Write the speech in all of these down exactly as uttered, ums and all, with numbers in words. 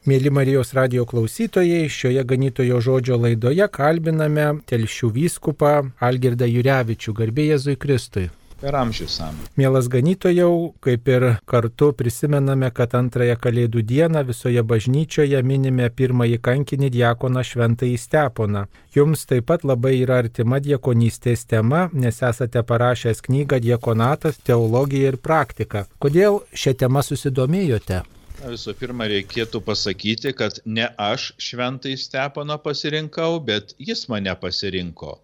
Mėly Marijos radijo klausytojai, šioje ganytojo žodžio laidoje kalbiname Telšių vyskupą Algirdą Jurevičių. Garbė Jėzui Kristui. Per amžius amžių. Mielas ganytojau, kaip ir kartu prisimename, kad antrąją Kalėdų dieną visoje bažnyčioje minime pirmąjį kankinį diakoną Šventąjį Steponą. Jums taip pat labai yra artima diakonystės tema, nes esate parašęs knygą Diakonatas, teologija ir praktika. Kodėl šią temą susidomėjote? Visų pirma, reikėtų pasakyti, kad ne aš Šventąjį Steponą pasirinkau, bet jis mane pasirinko.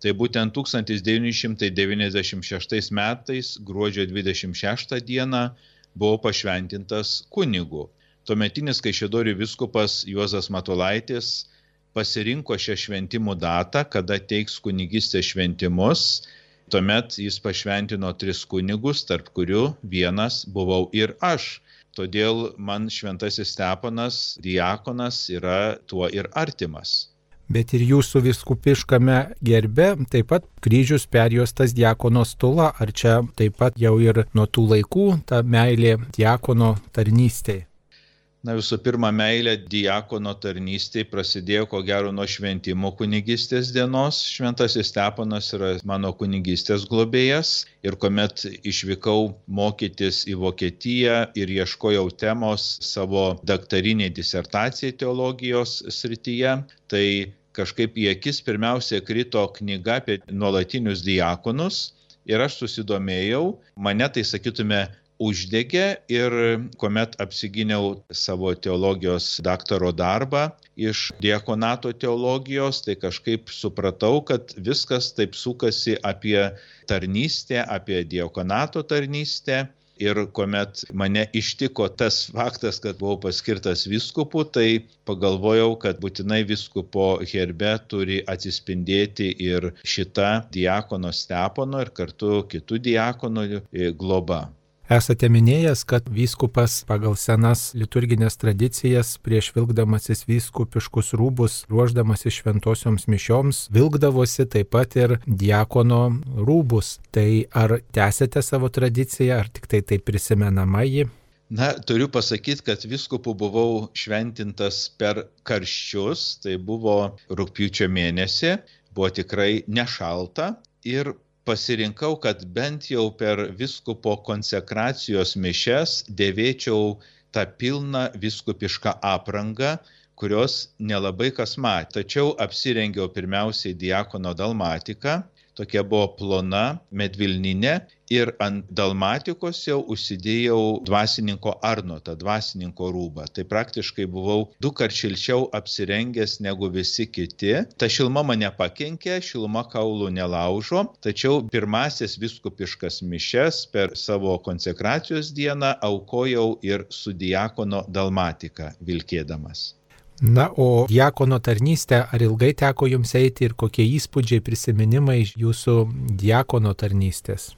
Tai būtent tūkstantis devyni šimtai devyniasdešimt šeštais metais, gruodžio dvidešimt šeštą dieną, buvau pašventintas kunigu. Tuometinis Kaišiadorių vyskupas Juozas Matulaitis pasirinko šią šventimų datą, kada teiks kunigystės šventimus. Tuomet jis pašventino tris kunigus, tarp kurių vienas buvau ir aš. Todėl man Šventasis Steponas, diakonas, yra tuo ir artimas. Bet ir jūsų vyskupiškame gerbe taip pat kryžius perjuostas diakono stula. Ar čia taip pat jau ir nuo tų laikų ta meilė diakono tarnystėje? Na, visų pirma, meilė diakono tarnystėje prasidėjo ko gero nuo šventimo kunigystės dienos. Šventasis Steponas yra mano kunigystės globėjas ir kuomet išvykau mokytis į Vokietiją ir ieškojau temos savo daktariniai disertacijai teologijos srityje, tai kažkaip į akis pirmiausia krito knyga apie nuolatinius diakonus ir aš susidomėjau, mane tai sakytume uždegė ir kuomet apsigyniau savo teologijos daktaro darbą iš diakonato teologijos, tai kažkaip supratau, kad viskas taip sukasi apie tarnystę, apie diakonato tarnystę. Ir kuomet mane ištiko tas faktas, kad buvau paskirtas vyskupu, tai pagalvojau, kad būtinai vyskupo herbe turi atsispindėti ir šita diakono Stepono ir kartu kitų diakonų globa. Esate minėjęs, kad vyskupas pagal senas liturginės tradicijas prieš vilkdamasis vyskupiškus rūbus, ruošdamasis šventosioms mišioms, vilkdavosi taip pat ir diakono rūbus. Tai ar tęsite savo tradiciją, ar tik tai taip prisimenama ji? Na, turiu pasakyti, kad vyskupu buvau šventintas per karščius, tai buvo rugpjūčio mėnesį, buvo tikrai nešalta ir pasirinkau, kad bent jau per vyskupo konsekracijos mišias dėvėčiau tą pilną vyskupišką aprangą, kurios nelabai kas matė. Tačiau apsirengiau pirmiausiai diakono dalmatiką, tokia buvo plona medvilninė ir ant dalmatikos jau užsidėjau dvasininko arnotą, dvasininko rūbą. Tai praktiškai buvau du kart šilčiau apsirengęs negu visi kiti. Ta šiluma mane pakenkė, šiluma kaulų nelaužo, tačiau pirmasis vyskupiškas mišias per savo konsekracijos dieną aukojau ir su diakono dalmatika vilkėdamas. Na, o diakono tarnystę, ar ilgai teko jums eiti ir kokie įspūdžiai, prisiminimai iš jūsų diakono tarnystės?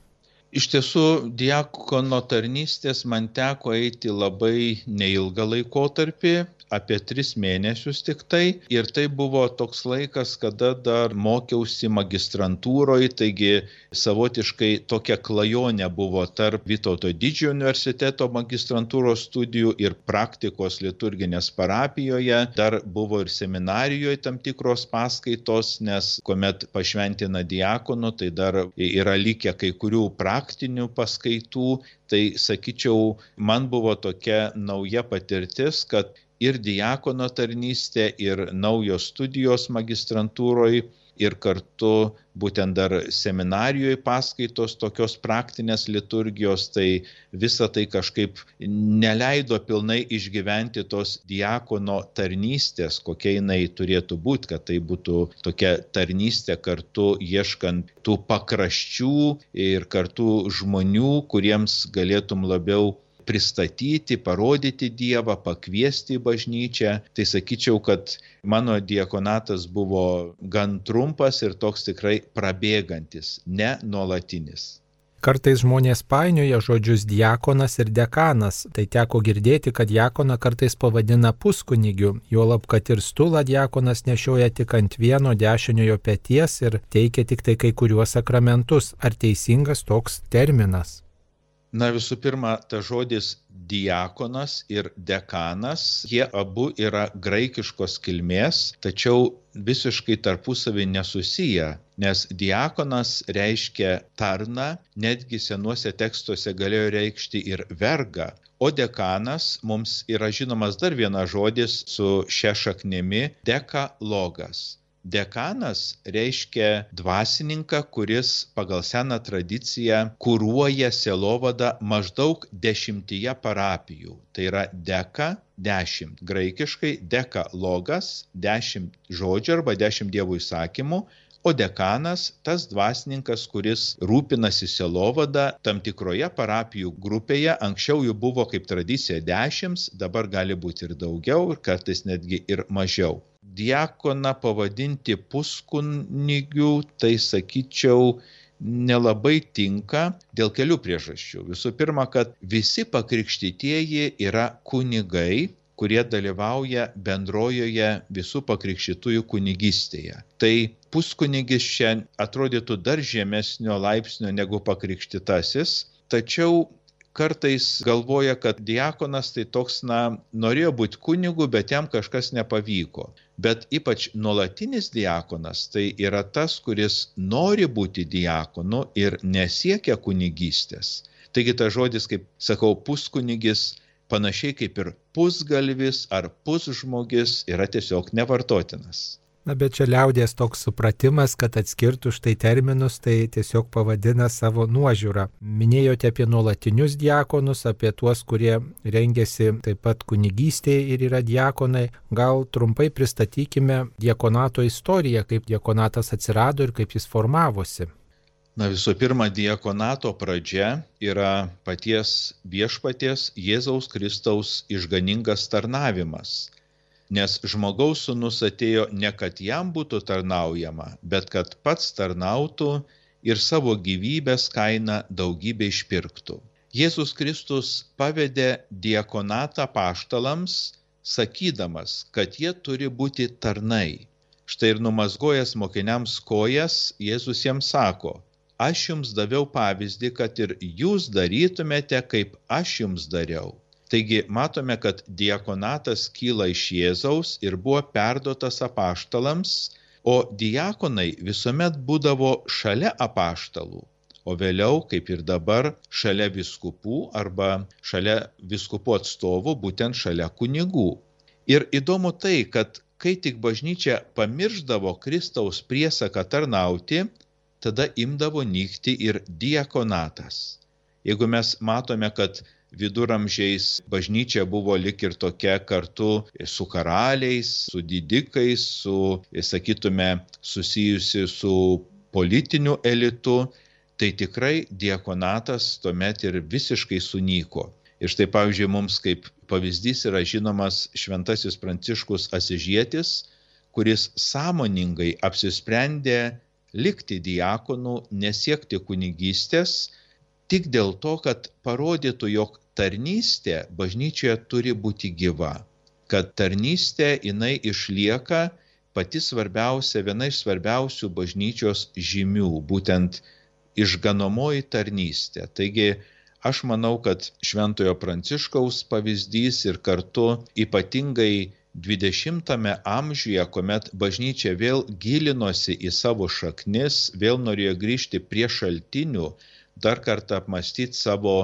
Iš tiesų, diakono tarnystės man teko eiti labai neilgą laikotarpį, apie tris mėnesius tik tai. Ir tai buvo toks laikas, kada dar mokiausi magistrantūroje, taigi savotiškai tokia klajonė buvo tarp Vytauto Didžiojo universiteto magistrantūros studijų ir praktikos liturginės parapijoje. Dar buvo ir seminarijoje tam tikros paskaitos, nes kuomet pašventina diakonu, tai dar yra likę kai kurių praktinių paskaitų. Tai sakyčiau, man buvo tokia nauja patirtis, kad ir diakono tarnystė, ir naujos studijos magistrantūroje, ir kartu būtent dar seminarijoje paskaitos tokios praktinės liturgijos, tai visa tai kažkaip neleido pilnai išgyventi tos diakono tarnystės, kokia jinai turėtų būti, kad tai būtų tokia tarnystė kartu ieškant tų pakraščių ir kartu žmonių, kuriems galėtum labiau pristatyti, parodyti Dievą, pakviesti į bažnyčią. Tai sakyčiau, kad mano diakonatas buvo gan trumpas ir toks tikrai prabėgantis, ne nuolatinis. Kartais žmonės painioja žodžius diakonas ir dekanas. Tai teko girdėti, kad diakoną kartais pavadina puskunigiu, juolab, kad ir stulą diakonas nešioja tik ant vieno dešiniojo peties ir teikia tik tai kai kuriuos sakramentus. Ar teisingas toks terminas? Na visų pirma, ta žodis diakonas ir dekanas, jie abu yra graikiškos kilmės, tačiau visiškai tarpusavį nesusiję, nes diakonas reiškia tarną, netgi senuose tekstuose galėjo reikšti ir vergą, o dekanas mums yra žinomas dar vienas žodis su šia šaknimi – dekalogas. Dekanas reiškia dvasininką, kuris pagal seną tradiciją kuruoja sielovadą maždaug dešimtyje parapijų. Tai yra deka, dešimt. Graikiškai dekalogas, dešimt žodžių arba dešimt dievo įsakymų, o dekanas tas dvasininkas, kuris rūpinasi sielovada tam tikroje parapijų grupėje. Anksčiau jų buvo kaip tradicija dešimt, dabar gali būti ir daugiau, ir kartais netgi ir mažiau. Diakoną pavadinti puskunigiu, tai sakyčiau, nelabai tinka dėl kelių priežasčių. Visų pirma, kad visi pakrikštytieji yra kunigai, kurie dalyvauja bendrojoje visų pakrikštytųjų kunigystėje. Tai puskunigis čia atrodytų dar žemesnio laipsnio negu pakrikštytasis, tačiau kartais galvoja, kad diakonas tai toks, na, norėjo būti kunigu, bet jam kažkas nepavyko. Bet ypač nuolatinis diakonas tai yra tas, kuris nori būti diakonu ir nesiekia kunigystės. Taigi tas žodis, kaip sakau, puskunigis, panašiai kaip ir pusgalvis ar pusžmogis, yra tiesiog nevartotinas. Na, bet čia liaudies toks supratimas, kad atskirtų štai terminus, tai tiesiog pavadina savo nuožiūrą. Minėjote apie nuolatinius diakonus, apie tuos, kurie rengiasi taip pat kunigystėje ir yra diakonai. Gal trumpai pristatykime diakonato istoriją, kaip diakonatas atsirado ir kaip jis formavosi. Na, visų pirma, diakonato pradžia yra paties viešpaties Jėzaus Kristaus išganingas tarnavimas. Nes žmogaus sūnus atėjo ne kad jam būtų tarnaujama, bet kad pats tarnautų ir savo gyvybės kainą daugybę išpirktų. Jėzus Kristus pavedė diakonatą apaštalams, sakydamas, kad jie turi būti tarnai. Štai ir numazgojęs mokiniams kojas, Jėzus jiems sako: aš jums daviau pavyzdį, kad ir jūs darytumėte, kaip aš jums dariau. Taigi matome, kad diakonatas kyla iš Jėzaus ir buvo perduotas apaštalams, o diakonai visuomet būdavo šalia apaštalų, o vėliau, kaip ir dabar, šalia vyskupų arba šalia vyskupų atstovų, būtent šalia kunigų. Ir įdomu tai, kad kai tik bažnyčia pamirždavo Kristaus priesaką tarnauti, tada imdavo nykti ir diakonatas. Jeigu mes matome, kad viduramžiais bažnyčia buvo lik ir tokia kartu su karaliais, su didikais, su, sakytume, susijusi su politiniu elitu, tai tikrai diakonatas tuomet ir visiškai sunyko. Ir štai, pavyzdžiui, mums kaip pavyzdys yra žinomas šventasis Pranciškus Asižietis, kuris sąmoningai apsisprendė likti diakonu, nesiekti kunigystės, tik dėl to, kad parodytų, jog tarnystė bažnyčioje turi būti gyva, kad tarnystė jinai išlieka pati svarbiausia, viena iš svarbiausių bažnyčios žymių, būtent išganomoji tarnystė. Taigi aš manau, kad šventojo Pranciškaus pavyzdys ir kartu ypatingai dvidešimtame amžiuje, kuomet bažnyčia vėl gilinosi į savo šaknis, vėl norėjo grįžti prie šaltinių, dar kartą apmąstyti savo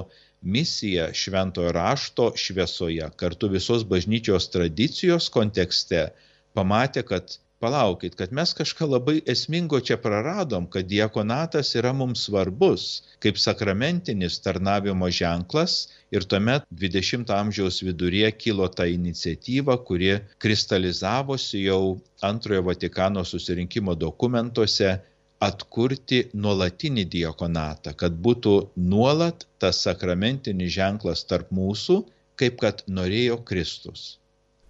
misiją šventojo rašto šviesoje, kartu visos bažnyčios tradicijos kontekste, pamatė, kad palaukit, kad mes kažką labai esmingo čia praradom, kad diakonatas yra mums svarbus kaip sakramentinis tarnavimo ženklas, ir tuomet dvidešimto amžiaus viduryje kilo ta iniciatyva, kuri kristalizavosi jau antrojo Vatikano susirinkimo dokumentuose, atkurti nuolatinį diakonatą, kad būtų nuolat tas sakramentinis ženklas tarp mūsų, kaip kad norėjo Kristus.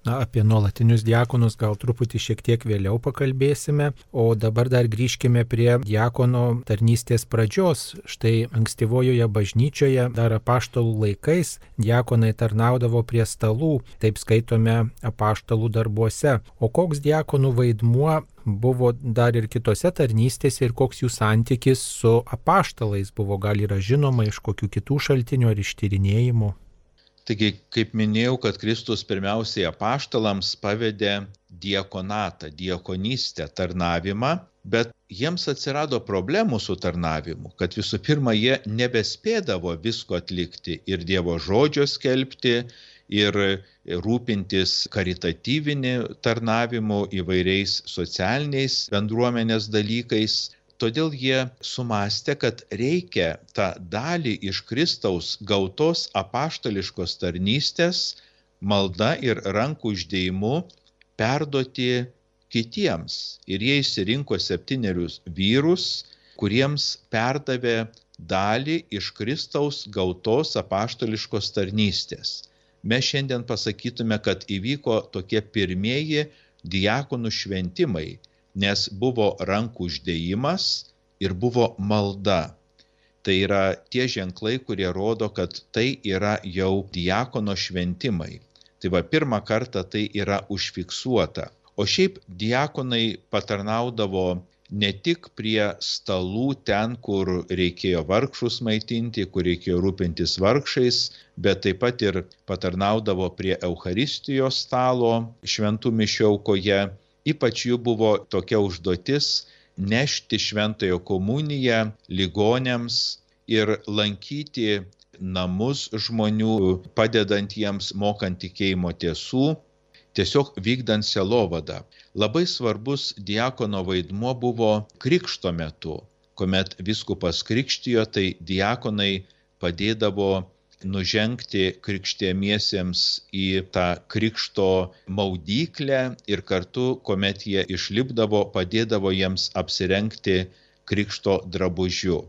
Na, apie nuolatinius diakonus gal truputį šiek tiek vėliau pakalbėsime, o dabar dar grįžkime prie diakono tarnystės pradžios. Štai ankstyvojoje bažnyčioje dar apaštalų laikais diakonai tarnaudavo prie stalų, taip skaitome apaštalų darbuose. O koks diakonų vaidmuo buvo dar ir kitose tarnystėse ir koks jų santykis su apaštalais buvo, gal yra žinoma iš kokių kitų šaltinių ar iš tyrinėjimų? Taigi, kaip minėjau, kad Kristus pirmiausiai apaštalams pavedė diakonatą, diakonystę, tarnavimą, bet jiems atsirado problemų su tarnavimu, kad visų pirma, jie nebespėdavo visko atlikti ir Dievo žodžio skelbti, ir rūpintis karitatyviniu tarnavimu, įvairiais socialiniais bendruomenės dalykais. Todėl jie sumastė, kad reikia tą dalį iš Kristaus gautos apaštališkos tarnystės malda ir rankų uždėjimu perduoti kitiems. Ir jie išsirinko septynerius vyrus, kuriems perdavė dalį iš Kristaus gautos apaštališkos tarnystės. Mes šiandien pasakytume, kad įvyko tokie pirmieji diakonų šventimai, nes buvo rankų uždėjimas ir buvo malda. Tai yra tie ženklai, kurie rodo, kad tai yra jau diakono šventimai. Tai va, pirmą kartą tai yra užfiksuota. O šiaip diakonai patarnaudavo ne tik prie stalų ten, kur reikėjo vargšus maitinti, kur reikėjo rūpintis vargšais, bet taip pat ir patarnaudavo prie Eucharistijos stalo šventų mišių aukoje. Ypač jų buvo tokia užduotis nešti šventąją komuniją ligoniams ir lankyti namus žmonių, padedant jiems mokant tikėjimo tiesų, tiesiog vykdant sielovadą. Labai svarbus diakono vaidmuo buvo krikšto metu. Kuomet vyskupas krikštijo, tai diakonai padėdavo nužengti krikštiemiesiems į tą krikšto maudyklę ir kartu, kuomet jie išlipdavo, padėdavo jiems apsirengti krikšto drabužiu.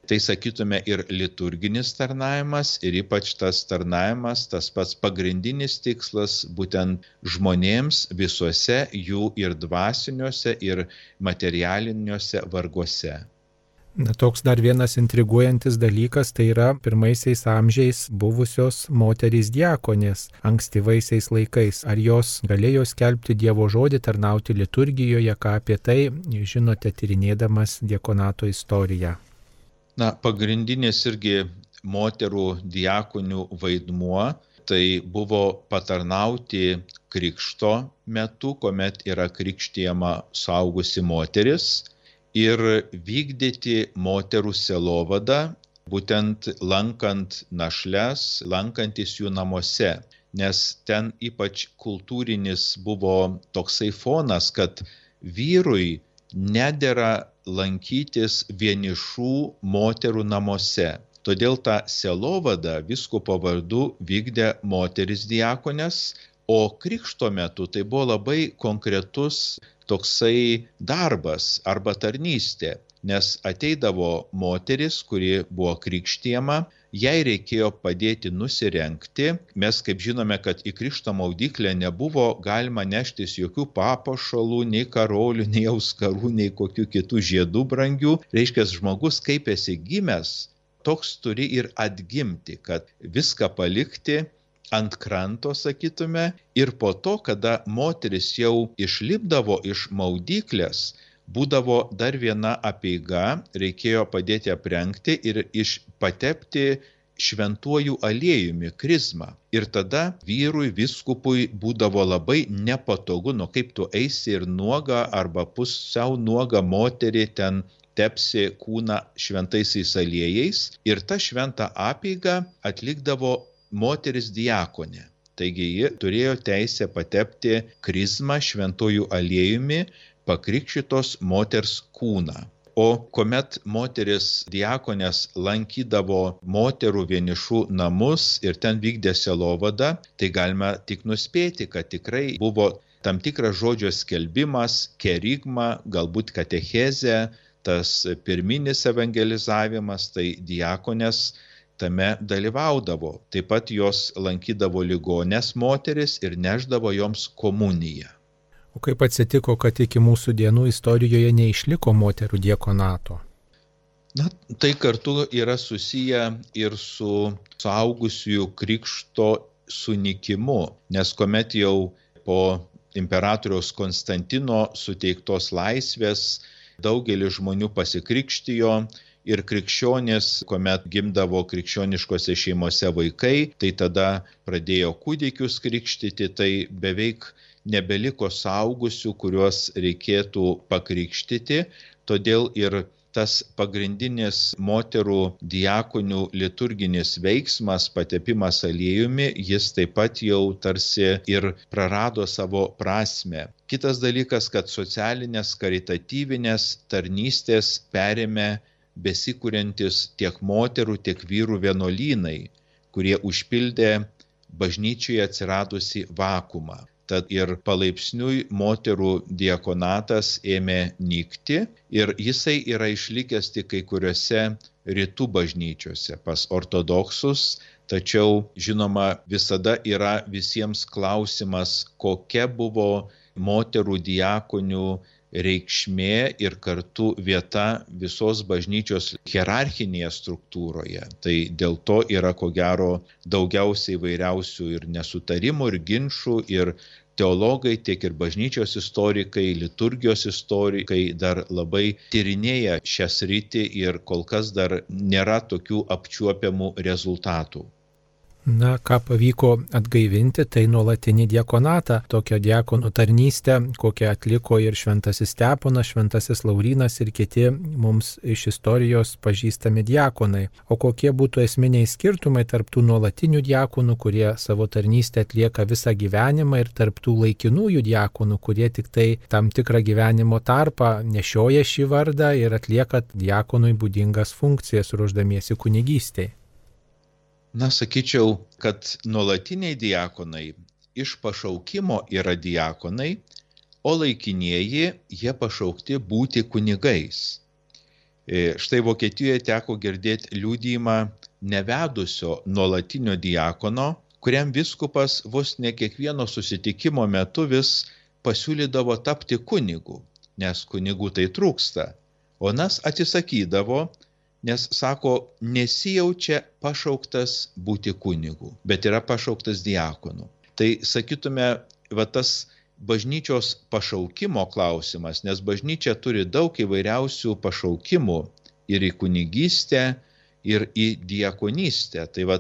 Tai sakytume ir liturginis tarnavimas, ir ypač tas tarnavimas, tas pats pagrindinis tikslas būtent žmonėms visuose jų ir dvasiniuose, ir materialiniuose varguose. Na, toks dar vienas intriguojantis dalykas, tai yra pirmaisiais amžiais buvusios moterys diakonės ankstyvaisiais laikais. Ar jos galėjo skelbti Dievo žodį, tarnauti liturgijoje, ką apie tai žinote tyrinėdamas diakonato istoriją? Na, pagrindinis irgi moterų diakonių vaidmuo tai buvo patarnauti krikšto metu, kuomet yra krikštijama suaugusi moteris, ir vykdyti moterų sielovadą, būtent lankant našles, lankantis jų namuose. Nes ten ypač kultūrinis buvo toksai fonas, kad vyrui nedera lankytis vienišų moterų namuose. Todėl tą sielovadą vyskupo vardu vykdė moteris diakonės, o krikšto metu tai buvo labai konkretus toksai darbas arba tarnystė, nes ateidavo moteris, kuri buvo krikštijama, jai reikėjo padėti nusirengti. Mes kaip žinome, kad į krikšto maudyklę nebuvo galima neštis jokių papuošalų, nei karolių, nei auskarų, nei kokių kitų žiedų brangių. Reiškia, žmogus kaip esi gimęs, toks turi ir atgimti, kad viską palikti ant kranto, sakytume, ir po to, kada moteris jau išlipdavo iš maudyklės, būdavo dar viena apeiga, reikėjo padėti aprengti ir iš patepti šventuoju aliejumi, krizmą. Ir tada vyrui, vyskupui būdavo labai nepatogu, nu kaip tu eisi ir nuoga arba pusiau nuoga moterį ten tepsi kūną šventaisiais aliejais, ir tą šventą apeigą atlikdavo moteris diakonė. Taigi ji turėjo teisę patepti krizmą šventuoju aliejumi pakrikštytos moters kūną. O kuomet moteris diakonės lankydavo moterų vienišų namus ir ten vykdė sielovadą, tai galime tik nuspėti, kad tikrai buvo tam tikras žodžio skelbimas, kerigma, galbūt katechezė, tas pirminis evangelizavimas, tai diakonės tame dalyvaudavo. Taip pat jos lankydavo ligonės moteris ir neždavo joms komuniją. O kaip atsitiko, kad iki mūsų dienų istorijoje neišliko moterų diakonato? Na, tai kartu yra susiję ir su suaugusiųjų krikšto sunikimu, nes kuomet jau po imperatoriaus Konstantino suteiktos laisvės daugelis žmonių pasikrikštijo ir krikščionys, kuomet gimdavo krikščioniškose šeimose vaikai, tai tada pradėjo kūdikius krikštyti, tai beveik nebeliko suaugusių, kuriuos reikėtų pakrikštyti, todėl ir tas pagrindinis moterų diakonių liturginis veiksmas, patepimas aliejumi, jis taip pat jau tarsi ir prarado savo prasmę. Kitas dalykas, kad socialinės karitatyvinės tarnystės perėmė besikuriantis tiek moterų, tiek vyrų vienuolynai, kurie užpildė bažnyčioje atsiradusi vakuumą. Tad ir palaipsniui moterų diakonatas ėmė nykti ir jisai yra išlikęs tik kai kuriuose rytų bažnyčiose pas ortodoksus, tačiau žinoma visada yra visiems klausimas, kokia buvo moterų diakonių reikšmė ir kartu vieta visos bažnyčios hierarchinėje struktūroje. Tai dėl to yra ko gero daugiausiai įvairiausių ir nesutarimų, ir ginčų, ir teologai, tiek ir bažnyčios istorikai, liturgijos istorikai dar labai tyrinėja šią sritį ir kol kas dar nėra tokių apčiuopiamų rezultatų. Na, ką pavyko atgaivinti, tai nuolatinį diakonatą, tokią diakonų tarnystę, kokią atliko ir šventasis Steponas, šventasis Laurynas ir kiti mums iš istorijos pažįstami diakonai. O kokie būtų esminiai skirtumai tarp tų nuolatinių diakonų, kurie savo tarnystę atlieka visą gyvenimą, ir tarp tų laikinųjų diakonų, kurie tik tai tam tikrą gyvenimo tarpą nešioja šį vardą ir atlieka diakonui būdingas funkcijas ruošdamiesi kunigystei? Na, sakyčiau, kad nuolatiniai diakonai iš pašaukimo yra diakonai, o laikinieji jie pašaukti būti kunigais. Štai Vokietijoje teko girdėti liudijimą nevedusio nuolatinio diakono, kuriam vyskupas vos ne kiekvieno susitikimo metu vis pasiūlydavo tapti kunigu, nes kunigų tai trūksta, o nas atsisakydavo, nes, sako, nesijaučia pašauktas būti kunigu, bet yra pašauktas diakonu. Tai, sakytume, va tas bažnyčios pašaukimo klausimas, nes bažnyčia turi daug įvairiausių pašaukimų ir į kunigystę, ir į diakonystę. Tai va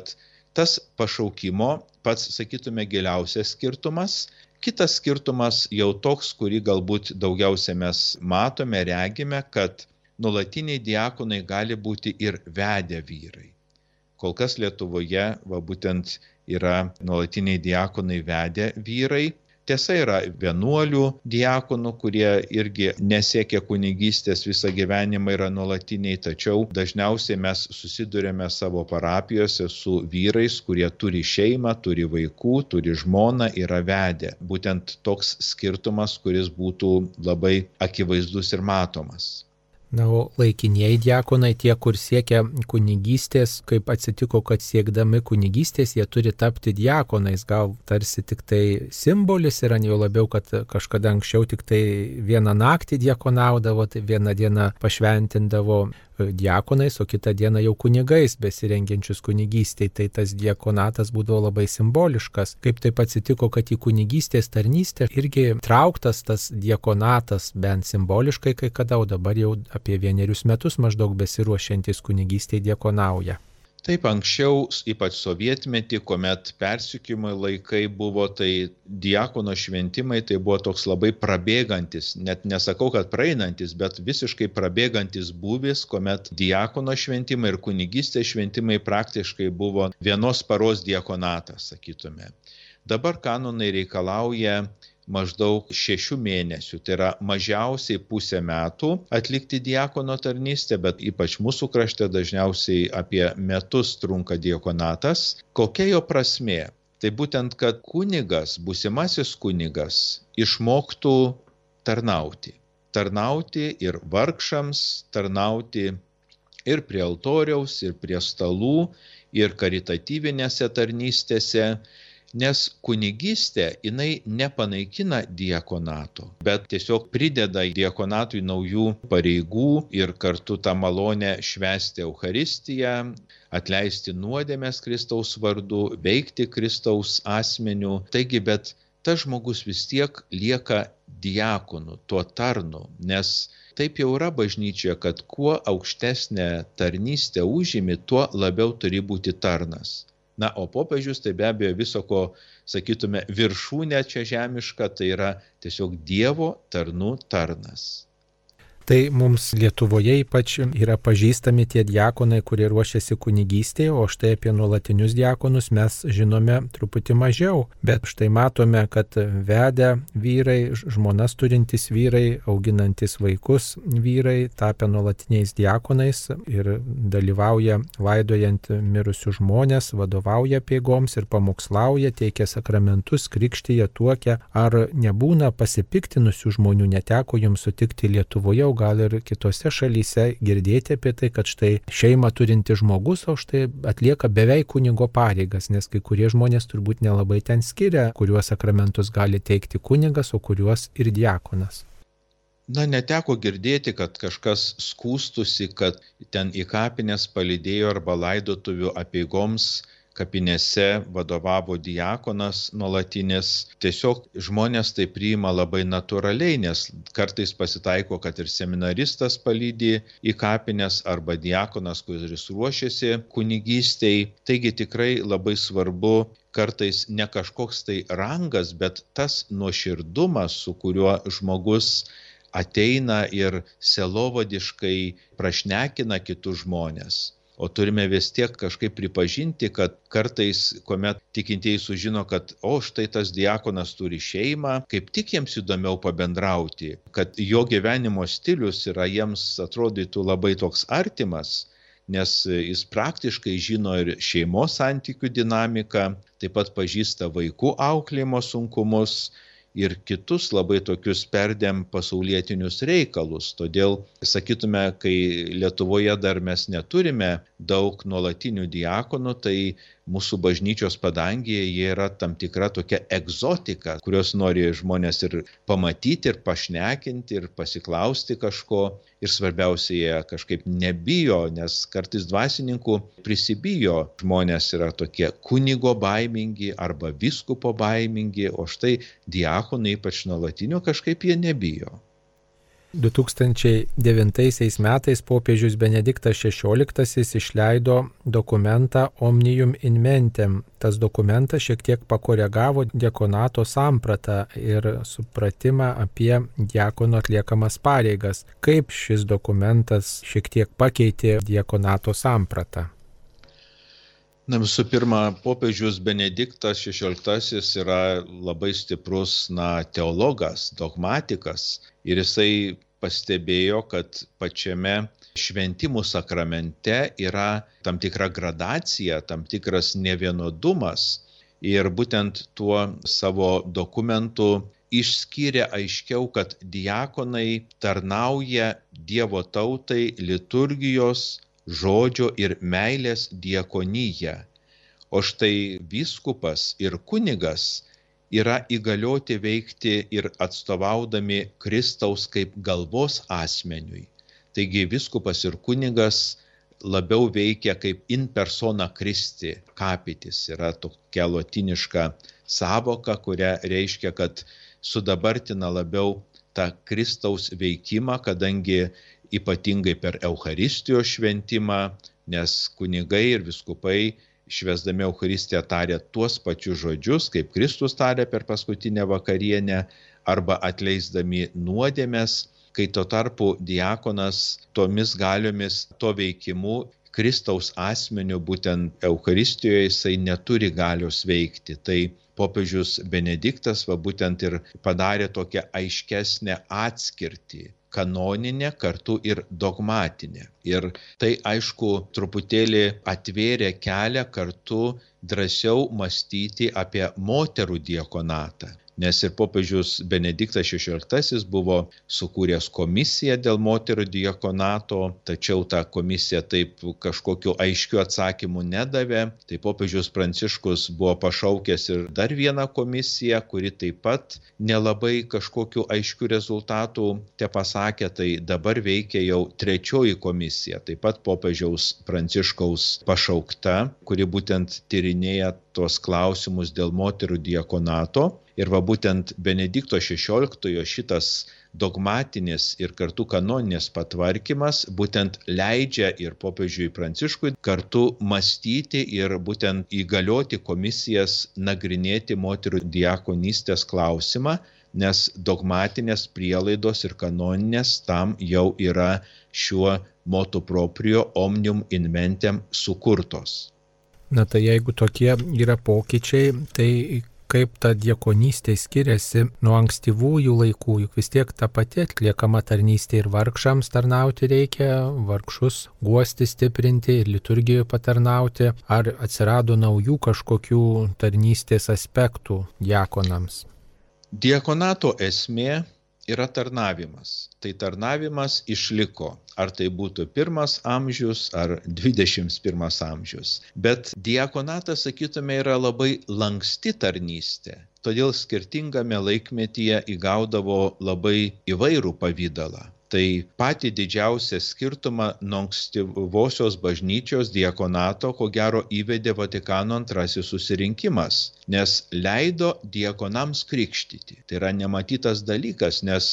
tas pašaukimo pats, sakytume, giliausias skirtumas. Kitas skirtumas jau toks, kurį galbūt daugiausia mes matome, regime, kad nuolatiniai diakonai gali būti ir vedę vyrai. Kol kas Lietuvoje va, būtent yra nuolatiniai diakonai vedę vyrai. Tiesa, yra vienuolių diakonų, kurie irgi nesiekia kunigystės visą gyvenimą, yra nuolatiniai, tačiau dažniausiai mes susidurėme savo parapijose su vyrais, kurie turi šeimą, turi vaikų, turi žmoną, yra vedę. Būtent toks skirtumas, kuris būtų labai akivaizdus ir matomas. Na, o laikinieji diakonai, tie, kur siekia kunigystės, kaip atsitiko, kad siekdami kunigystės jie turi tapti diakonais, gal tarsi tik tai simbolis yra, jau labiau, kad kažkada anksčiau tik tai vieną naktį diakonaudavo, tai vieną dieną pašventindavo diakonais, o kitą dieną jau kunigais besirengiančius kunigystei, tai tas diakonatas būdavo labai simboliškas. Kaip taip atsitiko, kad į kunigystės tarnystę irgi trauktas tas diakonatas, bent simboliškai kai kada, o dabar jau apie vienerius metus maždaug besiruošiantis kunigystei diakonauja. Taip, anksčiau, ypač sovietmetį, kuomet persekiojimo laikai buvo, tai diakono šventimai tai buvo toks labai prabėgantis, net nesakau, kad praeinantis, bet visiškai prabėgantis būvis, kuomet diakono šventimai ir kunigystės šventimai praktiškai buvo vienos paros diakonatas, sakytume. Dabar kanonai reikalauja maždaug šešių mėnesių, tai yra mažiausiai pusę metų atlikti diakono tarnystę, bet ypač mūsų krašte dažniausiai apie metus trunka diakonatas. Kokia jo prasmė? Tai būtent, kad kunigas, būsimasis kunigas, išmoktų tarnauti. Tarnauti ir vargšams, tarnauti ir prie altoriaus, ir prie stalų, ir karitatyvinėse tarnystėse, nes kunigystė jinai nepanaikina diakonato, bet tiesiog prideda diakonatui naujų pareigų ir kartu tą malonę švęsti Eucharistiją, atleisti nuodėmes Kristaus vardu, veikti Kristaus asmeniu. Taigi, bet tas žmogus vis tiek lieka diakonu, tuo tarnu, nes taip jau yra bažnyčioje, kad kuo aukštesnę tarnystę užimi, tuo labiau turi būti tarnas. Na, o popiežius tai be abejo viso ko, sakytume, viršūnė čia žemiška, tai yra tiesiog Dievo tarnų tarnas. Tai mums Lietuvoje ypač yra pažįstami tie diakonai, kurie ruošiasi kunigystėje, o štai apie nuolatinius diakonus mes žinome truputį mažiau. Bet štai matome, kad vedę vyrai, žmonas turintys vyrai, auginantis vaikus vyrai, tapę nuolatiniais diakonais ir dalyvauja laidojant mirusius žmonės, vadovauja apeigoms ir pamokslauja, teikia sakramentus, krikštyje, tuokia. Ar nebūna pasipiktinusių žmonių, neteko jums sutikti Lietuvoje, gal ir kitose šalyse girdėti apie tai, kad štai šeimą turinti žmogus, o štai atlieka beveik kunigo pareigas, nes kai kurie žmonės turbūt nelabai ten skiria, kuriuos sakramentus gali teikti kunigas, o kuriuos ir diakonas. Na, neteko girdėti, kad kažkas skųstusi, kad ten į kapines palydėjo arba laidotuvių apeigoms kapinėse vadovavo diakonas nuolatinis. Tiesiog žmonės tai priima labai natūraliai, nes kartais pasitaiko, kad ir seminaristas palydi į kapines arba diakonas, kuris ruošiasi kunigystei. Taigi tikrai labai svarbu kartais ne kažkoks tai rangas, bet tas nuoširdumas, su kuriuo žmogus ateina ir selovadiškai prašnekina kitus žmonės. O turime vis tiek kažkaip pripažinti, kad kartais, kuomet tikintieji sužino, kad o štai tas diakonas turi šeimą, kaip tik jiems įdomiau pabendrauti, kad jo gyvenimo stilius yra jiems atrodytų labai toks artimas, nes jis praktiškai žino ir šeimos santykių dinamiką, taip pat pažįsta vaikų auklėjimo sunkumus ir kitus labai tokius perdėm pasaulietinius reikalus. Todėl, sakytume, kai Lietuvoje dar mes neturime daug nuolatinių diakonų, tai mūsų bažnyčios padangėje jie yra tam tikra tokia egzotika, kurios nori žmonės ir pamatyti, ir pašnekinti, ir pasiklausti kažko. Ir svarbiausia, jie kažkaip nebijo, nes kartais dvasininkų prisibijo. Žmonės yra tokie kunigo baimingi arba vyskupo baimingi, o štai diakonai, ypač nuolatinių, kažkaip jie nebijo. du tūkstančiai devintaisiais metais popiežius Benediktas šešioliktasis išleido dokumentą Omnium in Mentem. Tas dokumentas šiek tiek pakoregavo diakonato sampratą ir supratimą apie diakono atliekamas pareigas. Kaip šis dokumentas šiek tiek pakeitė diakonato sampratą? Na, visų pirma, popiežius Benediktas šešioliktasis yra labai stiprus na, teologas, dogmatikas ir jisai pastebėjo, kad pačiame šventimų sakramente yra tam tikra gradacija, tam tikras nevienodumas ir būtent tuo savo dokumentu išskyrė aiškiau, kad diakonai tarnauja Dievo tautai liturgijos, žodžio ir meilės diakonyje, o štai vyskupas ir kunigas yra įgalioti veikti ir atstovaudami Kristaus kaip galvos asmeniui. Taigi vyskupas ir kunigas labiau veikia kaip in persona Christi, capitis. Yra tokia lotiniška sąvoka, kuria reiškia, kad sudabartina labiau tą Kristaus veikimą, kadangi ypatingai per Eucharistijos šventimą, nes kunigai ir vyskupai švęsdami Eucharistiją tarė tuos pačius žodžius, kaip Kristus tarė per paskutinę vakarienę, arba atleisdami nuodėmes, kai tuo tarpu diakonas tomis galiomis, to veikimu, Kristaus asmeniu, būtent Eucharistijoje jisai neturi galios veikti. Tai popiežius Benediktas va būtent ir padarė tokią aiškesnę atskirtį. Kanoninė, kartu ir dogmatinė. Ir tai, aišku, truputėlį atvėrė kelią kartu drąsiau mąstyti apie moterų diakonatą. nes ir popiežius Benediktas šešioliktasis buvo sukūręs komisiją dėl moterų diakonato, tačiau ta komisija taip kažkokiu aiškiu atsakymu nedavė. Tai popiežius Pranciškus buvo pašaukęs ir dar vieną komisiją, kuri taip pat nelabai kažkokiu aiškiu rezultatu te pasakė. Tai dabar veikia jau trečioji komisija, taip pat popiežiaus Pranciškaus pašaukta, kuri būtent tyrinėja tuos klausimus dėl moterų diakonato. Ir va būtent Benedikto šešioliktojo šitas dogmatinis ir kartu kanoninis patvarkymas būtent leidžia ir popiežiui Pranciškui kartu mąstyti ir būtent įgalioti komisijas nagrinėti moterų diakonystės klausimą, nes dogmatinės prielaidos ir kanoninės tam jau yra šiuo motu proprio omnium inmentem sukurtos. Na tai jeigu tokie yra pokyčiai, tai kaip ta diakonystė skiriasi nuo ankstyvųjų laikų, juk vis tiek ta pati atliekama tarnystė ir vargšams tarnauti reikia, vargšus guosti, stiprinti ir liturgijoje patarnauti, ar atsirado naujų kažkokių tarnystės aspektų diakonams? Diakonato esmė yra tarnavimas. Tai tarnavimas išliko. Ar tai būtų pirmas amžius ar dvidešimt pirmas amžius. Bet diakonatas, sakytume, yra labai lanksti tarnystė. Todėl skirtingame laikmetyje įgaudavo labai įvairų pavydalą. Tai patį didžiausią skirtumą nuo ankstyvosios bažnyčios diakonato, ko gero, įvedė Vatikano antrasis susirinkimas, nes leido diakonams krikštyti. Tai yra nematytas dalykas, nes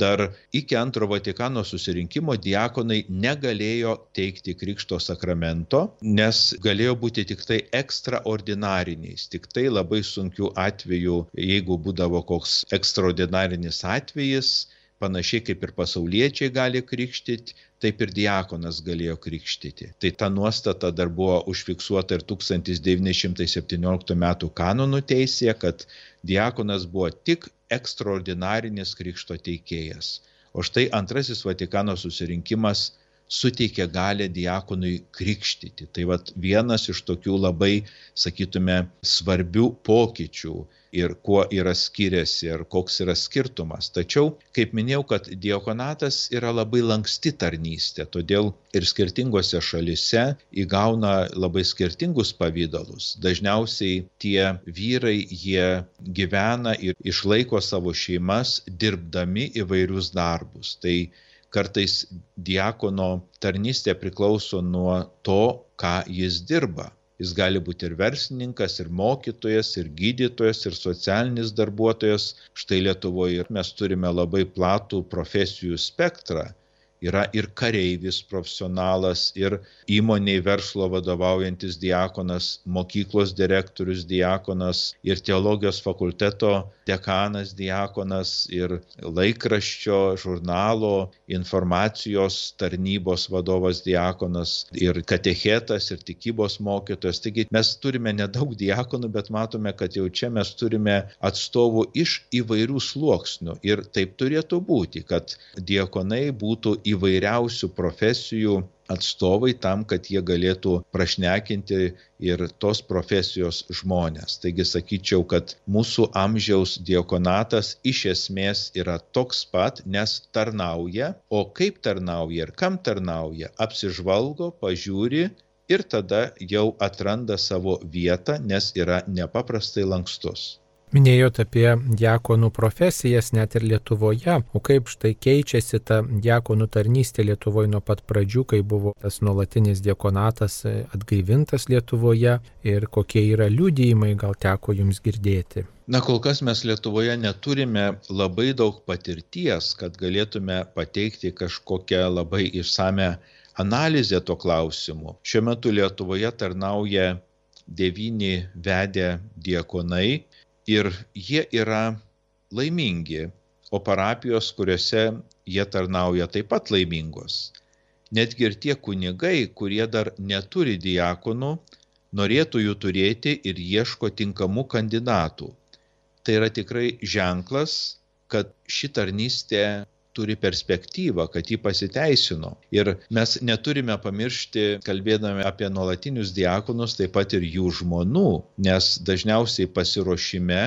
dar iki antro Vatikano susirinkimo diakonai negalėjo teikti krikšto sakramento, nes galėjo būti tik tai ekstraordinariniais, tik tai labai sunkių atvejų, jeigu būdavo koks ekstraordinarinis atvejis, panašiai kaip ir pasauliečiai gali krikštyti, taip ir diakonas galėjo krikštyti. Tai ta nuostata dar buvo užfiksuota ir tūkstantis devyni šimtai septynioliktų metų kanonų teisėje, kad diakonas buvo tik ekstraordinarinis krikšto teikėjas. O štai antrasis Vatikano susirinkimas suteikė galę diakonui krikštyti. Tai vat vienas iš tokių labai, sakytume, svarbių pokyčių ir kuo yra skiriasi ir koks yra skirtumas. Tačiau, kaip minėjau, kad diakonatas yra labai lanksti tarnystė, todėl ir skirtingose šalise įgauna labai skirtingus pavydalus. Dažniausiai tie vyrai, jie gyvena ir išlaiko savo šeimas, dirbdami įvairius darbus. Tai kartais diakono tarnystė priklauso nuo to, ką jis dirba. Jis gali būti ir verslininkas, ir mokytojas, ir gydytojas, ir socialinis darbuotojas. Štai Lietuvoje mes turime labai platų profesijų spektrą. Yra ir kareivis profesionalas, ir įmoniai verslo vadovaujantis diakonas, mokyklos direktorius diakonas, ir teologijos fakulteto dekanas diakonas, ir laikraščio, žurnalo, informacijos tarnybos vadovas diakonas, ir katechetas, ir tikybos mokytojas. Taigi mes turime nedaug diakonų, bet matome, kad jau čia mes turime atstovų iš įvairių sluoksnių. Ir taip turėtų būti, kad diakonai būtų įvairiausių profesijų atstovai tam, kad jie galėtų prašnekinti ir tos profesijos žmonės. Taigi sakyčiau, kad mūsų amžiaus diakonatas iš esmės yra toks pat, nes tarnauja, o kaip tarnauja ir kam tarnauja, apsižvalgo, pažiūri ir tada jau atranda savo vietą, nes yra nepaprastai lankstus. Minėjote apie diakonų profesijas net ir Lietuvoje, o kaip štai keičiasi ta diakonų tarnystė Lietuvoje nuo pat pradžių, kai buvo tas nuolatinis diakonatas atgaivintas Lietuvoje ir kokie yra liudijimai, gal teko jums girdėti? Na, kol kas mes Lietuvoje neturime labai daug patirties, kad galėtume pateikti kažkokią labai išsame analizę to klausimu. Šiuo metu Lietuvoje tarnauja devyni vedę diakonai, ir jie yra laimingi, o parapijos, kuriuose jie tarnauja, taip pat laimingos. Netgi ir tie kunigai, kurie dar neturi diakonų, norėtų jų turėti ir ieško tinkamų kandidatų. Tai yra tikrai ženklas, kad ši tarnystė turi perspektyvą, kad ji pasiteisino. Ir mes neturime pamiršti, kalbėdami apie nuolatinius diakonus, taip pat ir jų žmonų, nes dažniausiai pasiruošime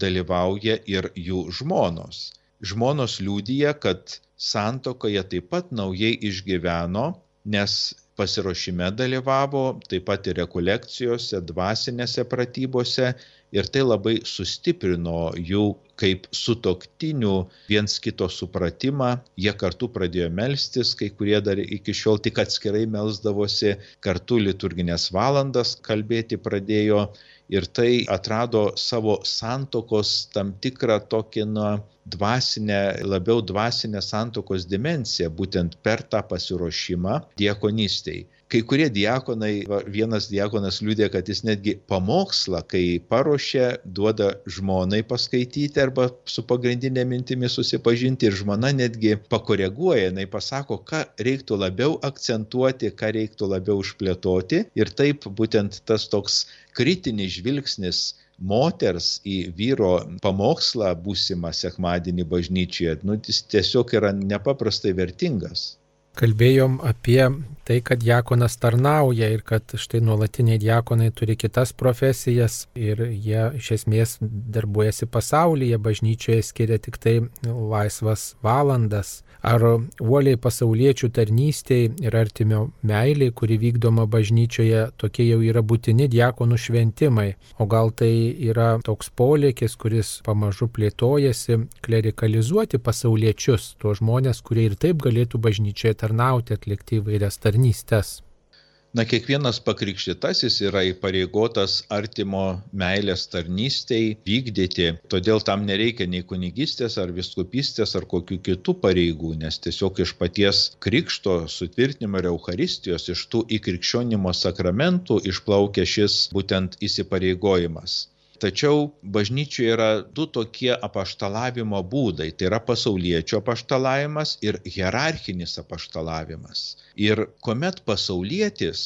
dalyvauja ir jų žmonos. Žmonos liudija, kad santuokoje taip pat naujai išgyveno, nes pasiruošime dalyvavo, taip pat ir rekolekcijose, dvasinėse pratybose, ir tai labai sustiprino jų kaip sutuoktinių viens kito supratimą. Jie kartu pradėjo melstis, kai kurie dar iki šiol tik atskirai melsdavosi, kartu liturginės valandas kalbėti pradėjo, ir tai atrado savo santuokos tam tikrą tokį, na, dvasinę, labiau dvasinę santuokos dimensiją, būtent per tą pasiruošimą diakonystei. Kai kurie diakonai, vienas diakonas liudė, kad jis netgi pamokslą, kai paruošia, duoda žmonai paskaityti arba su pagrindinė mintimi susipažinti, ir žmona netgi pakoreguoja, jinai pasako, ką reiktų labiau akcentuoti, ką reiktų labiau išplėtoti, ir taip būtent tas toks kritinis žvilgsnis moters į vyro pamokslą būsimą sekmadienį bažnyčioje, nu, jis tiesiog yra nepaprastai vertingas. Kalbėjom apie tai, kad diakonas tarnauja ir kad štai nuolatiniai diakonai turi kitas profesijas ir jie iš esmės darbuojasi pasaulyje, bažnyčioje skiria tik tai laisvas valandas. Ar uoliai pasauliečių tarnystei ir artimio meiliai, kuri vykdoma bažnyčioje, tokie jau yra būtini diakonų šventimai, o gal tai yra toks polėkis, kuris pamažu plėtojasi, klerikalizuoti pasauliečius, tuos žmonės, kurie ir taip galėtų bažnyčioje tarnauti, atlikti įvairias tarnystės. Na, kiekvienas pakrikštytasis yra įpareigotas artimo meilės tarnystei vykdyti, todėl tam nereikia nei kunigystės ar vyskupystės ar kokių kitų pareigų, nes tiesiog iš paties krikšto sutvirtinimo ir eucharistijos, iš tų įkrikščionimo sakramentų išplaukia šis būtent įsipareigojimas. Tačiau bažnyčioje yra du tokie apaštalavimo būdai, tai yra pasauliečio apaštalavimas ir hierarchinis apaštalavimas. Ir kuomet pasaulietis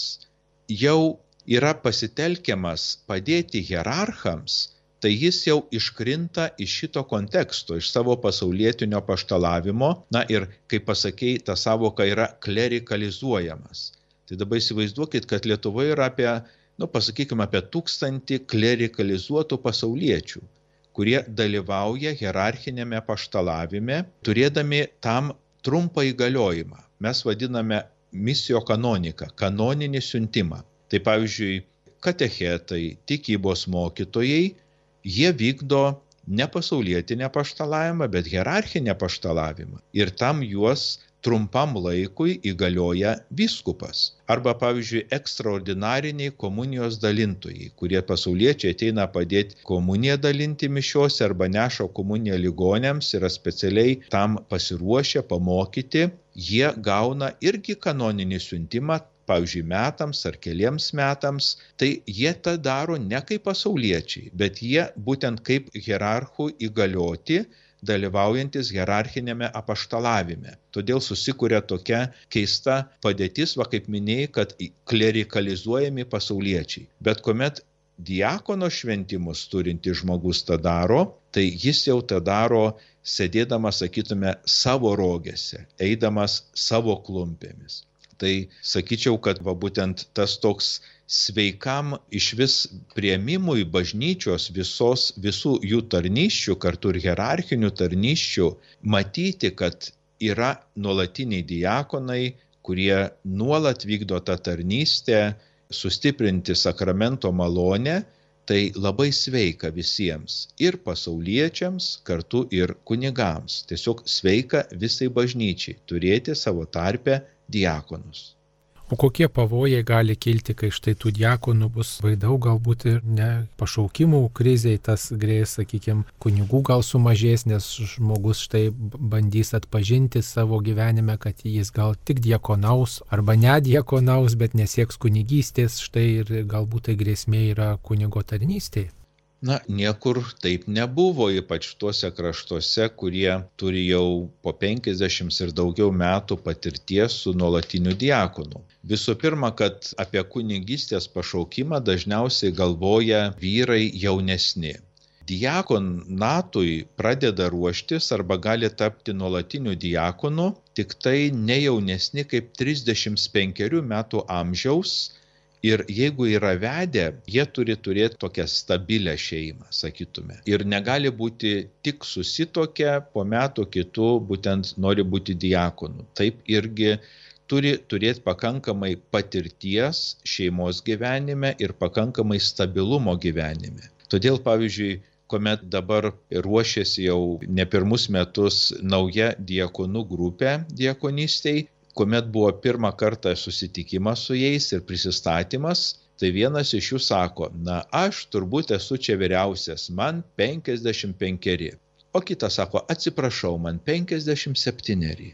jau yra pasitelkiamas padėti hierarchams, tai jis jau iškrinta iš šito konteksto, iš savo pasaulietinio apaštalavimo, na ir, kaip pasakei, ta savoka yra klerikalizuojamas. Tai dabar įsivaizduokit, kad Lietuvoje yra apie nu, pasakykime, apie tūkstantį klerikalizuotų pasauliečių, kurie dalyvauja hierarchinėme apaštalavime, turėdami tam trumpą įgaliojimą. Mes vadiname misijo kanoniką, kanoninį siuntimą. Tai pavyzdžiui, katechetai, tikybos mokytojai, jie vykdo ne pasaulietinį apaštalavimą, bet hierarchinį apaštalavimą. Ir tam juos trumpam laikui įgalioja vyskupas. Arba, pavyzdžiui, ekstraordinariniai komunijos dalintojai, kurie pasauliečiai ateina padėti komuniją dalinti mišiose arba neša komuniją ligoniams, yra specialiai tam pasiruošę pamokyti, jie gauna irgi kanoninį siuntimą, pavyzdžiui, metams ar keliems metams, tai jie tą daro ne kaip pasauliečiai, bet jie būtent kaip hierarchų įgalioti, dalyvaujantis hierarchinėme apaštalavime. Todėl susikuria tokia keista padėtis, va kaip minėjai, kad klerikalizuojami pasauliečiai. Bet kuomet diakono šventimus turintis žmogus tą daro, tai jis jau tą daro sėdėdamas, sakytume, savo rogėse, eidamas savo klumpėmis. Tai sakyčiau, kad va būtent tas toks sveikam išvis priėmimui bažnyčios visos, visų jų tarnysčių, kartu ir hierarchinių tarnysčių, matyti, kad yra nuolatiniai diakonai, kurie nuolat vykdo tą tarnystę, sustiprinti sakramento malonę, tai labai sveika visiems, ir pasauliečiams, kartu ir kunigams. Tiesiog sveika visai bažnyčiai turėti savo tarpe diakonus. O kokie pavojai gali kilti, kai štai tų diakonų bus vaidau, galbūt ir ne pašaukimų kriziai, tas grės, sakykime, kunigų gal sumažės, nes žmogus štai bandys atpažinti savo gyvenime, kad jis gal tik diakonaus arba nediakonaus, bet nesieks kunigystės, štai ir galbūt tai grėsmė yra kunigo tarnystėje. Na, niekur taip nebuvo, ypač tuose kraštuose, kurie turi jau po penkiasdešimt ir daugiau metų patirties su nuolatiniu diakonu. Visų pirma, kad apie kunigystės pašaukimą dažniausiai galvoja vyrai jaunesni. Diakonatui pradeda ruoštis arba gali tapti nuolatiniu diakonu tik tai ne jaunesni kaip trisdešimt penkerių metų amžiaus Ir jeigu yra vedę, jie turi turėti tokią stabilę šeimą, sakytume. Ir negali būti tik susitokę, po metų kitų būtent nori būti diakonu. Taip irgi turi turėti pakankamai patirties šeimos gyvenime ir pakankamai stabilumo gyvenime. Todėl, pavyzdžiui, kuomet dabar ruošiasi jau ne pirmus metus nauja diakonų grupė diakonystei, kuomet buvo pirmą kartą susitikimas su jais ir prisistatymas, tai vienas iš jų sako, na, aš turbūt esu čia vyriausias, man penkiasdešimt penkeri. O kitas sako, atsiprašau, man penkiasdešimt septyneri.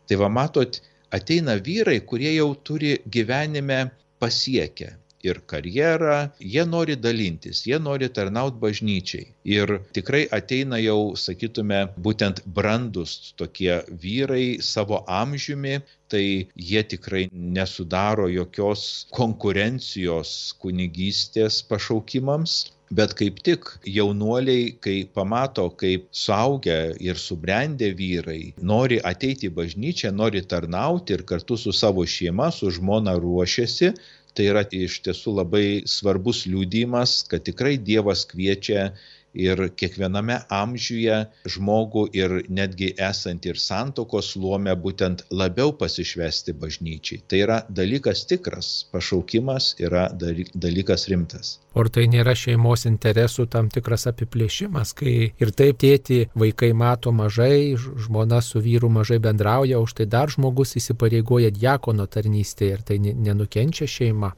Tai va matot, ateina vyrai, kurie jau turi gyvenime pasiekę ir karjerą, jie nori dalintis, jie nori tarnauti bažnyčiai. Ir tikrai ateina jau, sakytume, būtent brandus tokie vyrai savo amžiumi, tai jie tikrai nesudaro jokios konkurencijos kunigystės pašaukimams. Bet kaip tik jaunuoliai, kai pamato, kaip suaugę ir subrendę vyrai nori ateiti į bažnyčią, nori tarnauti ir kartu su savo šeima, su žmona ruošiasi, tai yra iš tiesų labai svarbus liudijimas, kad tikrai Dievas kviečia ir kiekviename amžiuje žmogų ir netgi esant ir santuokos luome būtent labiau pasišvesti bažnyčiai. Tai yra dalykas tikras, pašaukimas yra dalykas rimtas. Ar tai nėra šeimos interesų tam tikras apiplėšimas, kai ir taip tėti vaikai mato mažai, žmona su vyru mažai bendrauja, už tai dar žmogus įsipareigoja diakono tarnystėje ir tai nenukenčia šeima?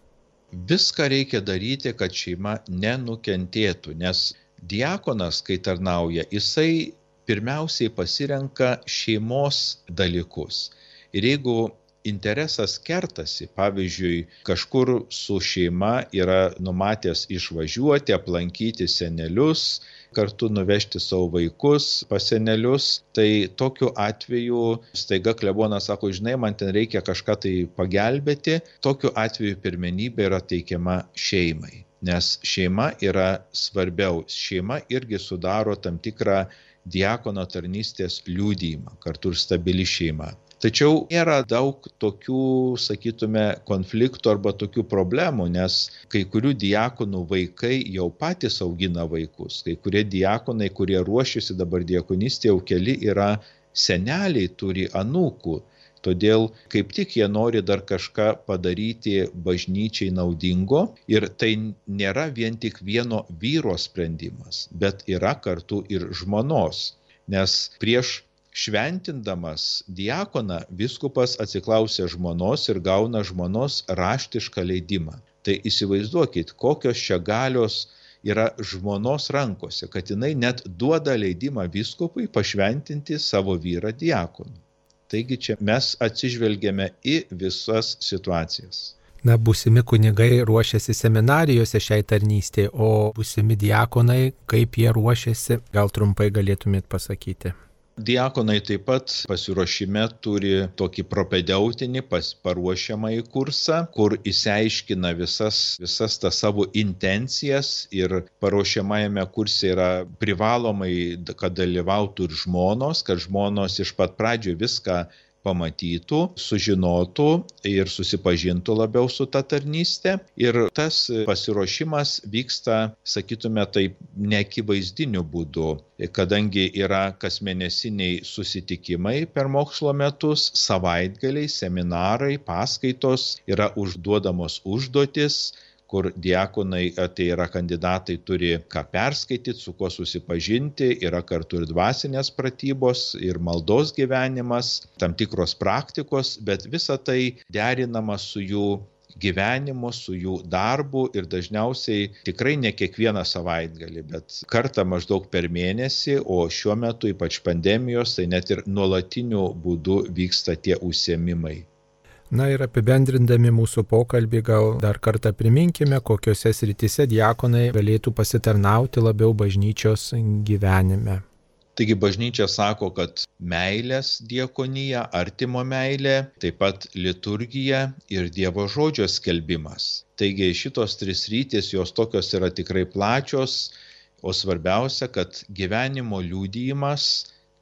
Viską reikia daryti, kad šeima nenukentėtų, nes diakonas, kai tarnauja, jisai pirmiausiai pasirenka šeimos dalykus. Ir jeigu interesas kertasi, pavyzdžiui, kažkur su šeima yra numatęs išvažiuoti, aplankyti senelius, kartu nuvežti savo vaikus pas senelius, tai tokiu atveju staiga klebonas sako, žinai, man ten reikia kažką tai pagelbėti, tokiu atveju pirmenybė yra teikiama šeimai. Nes šeima yra svarbiau. Šeima irgi sudaro tam tikrą diakono tarnystės liudijimą, kartu ir stabili šeima. Tačiau nėra daug tokių, sakytume, konfliktų arba tokių problemų, nes kai kurių diakonų vaikai jau patys augina vaikus. Kai kurie diakonai, kurie ruošiasi dabar diakonystė, jau keli yra seneliai, turi anūkų. Todėl kaip tik jie nori dar kažką padaryti bažnyčiai naudingo ir tai nėra vien tik vieno vyro sprendimas, bet yra kartu ir žmonos. Nes prieš šventindamas diakoną vyskupas atsiklausia žmonos ir gauna žmonos raštišką leidimą. Tai įsivaizduokit, kokios čia galios yra žmonos rankose, kad jinai net duoda leidimą vyskupui pašventinti savo vyrą diakonu. Taigi čia mes atsižvelgiame į visas situacijas. Na, būsimi kunigai ruošiasi seminarijose šiai tarnystėje, o būsimi diakonai, kaip jie ruošiasi, gal trumpai galėtumėt pasakyti? Diakonai taip pat pasiruošime turi tokį propedeutinį paruošiamąjį kursą, kur išsiaiškina visas, visas tas savo intencijas ir paruošiamajame kurse yra privalomai, kad dalyvautų ir žmonos, kad žmonos iš pat pradžių viską pamatytų, sužinotų ir susipažintų labiau su ta tarnyste. Ir tas pasiruošimas vyksta, sakytume, taip neakivaizdiniu būdu, kadangi yra kasmėnesiniai susitikimai per mokslo metus, savaitgaliai, seminarai, paskaitos, yra užduodamos užduotis, kur diakonai, tai yra kandidatai, turi ką perskaityti, su kuo susipažinti, yra kartu ir dvasinės pratybos, ir maldos gyvenimas, tam tikros praktikos, bet visa tai derinama su jų gyvenimu, su jų darbu ir dažniausiai tikrai ne kiekvieną savaitgalį, bet kartą maždaug per mėnesį, o šiuo metu ypač pandemijos, tai net ir nuolatiniu būdu vyksta tie užsiėmimai. Na ir apibendrindami mūsų pokalbį, gal dar kartą priminkime, kokiose srityse diakonai galėtų pasitarnauti labiau bažnyčios gyvenime. Taigi bažnyčia sako, kad meilės diakonija, artimo meilė, taip pat liturgija ir Dievo žodžio skelbimas. Taigi šitos tris sritys, jos tokios yra tikrai plačios, o svarbiausia, kad gyvenimo liudijimas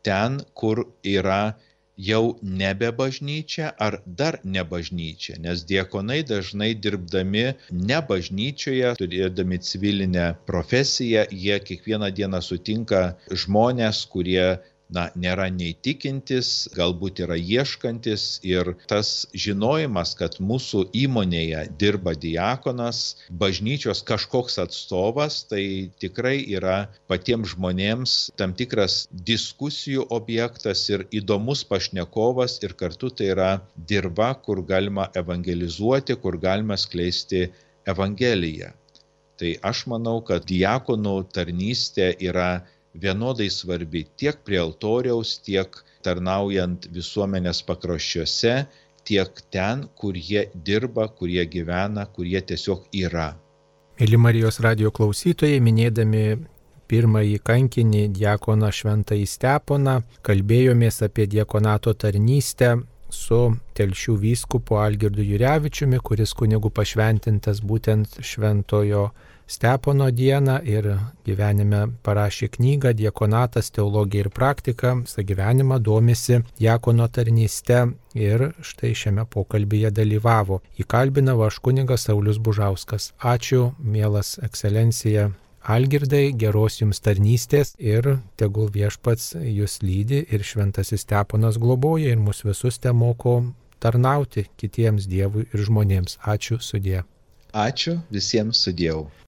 ten, kur yra jau nebe bažnyčia ar dar ne bažnyčia, nes diakonai dažnai dirbdami ne bažnyčioje, turėdami civilinę profesiją, jie kiekvieną dieną sutinka žmonės, kurie na, nėra nei tikintis, galbūt yra ieškantis, ir tas žinojimas, kad mūsų įmonėje dirba diakonas, bažnyčios kažkoks atstovas, tai tikrai yra patiems žmonėms tam tikras diskusijų objektas ir įdomus pašnekovas, ir kartu tai yra dirba, kur galima evangelizuoti, kur galima skleisti evangeliją. Tai aš manau, kad diakonų tarnystė yra vienodai svarbi tiek prie altoriaus, tiek tarnaujant visuomenės pakraščiuose, tiek ten, kur jie dirba, kur jie gyvena, kur jie tiesiog yra. Mėly Marijos radijo klausytojai, minėdami pirmąjį kankinį diakoną Šventąjį Steponą, kalbėjomės apie diakonato tarnystę su Telšių vyskupu Algirdu Jurevičiumi, kuris kunigų pašventintas būtent Šventojo Stepono dieną ir gyvenime parašė knygą Diakonatas, teologija ir praktika, visą gyvenimą domisi diakono tarnyste ir štai šiame pokalbyje dalyvavo. Įkalbinau aš kunigas Saulius Bužauskas. Ačiū, mielas ekscelencija Algirdai, geros jums tarnystės ir tegul viešpats jūs lydi ir Šventasis Steponas globoja ir mus visus te moko tarnauti kitiems Dievui ir žmonėms. Ačiū, sudie. Ačiū, visiems sudiev.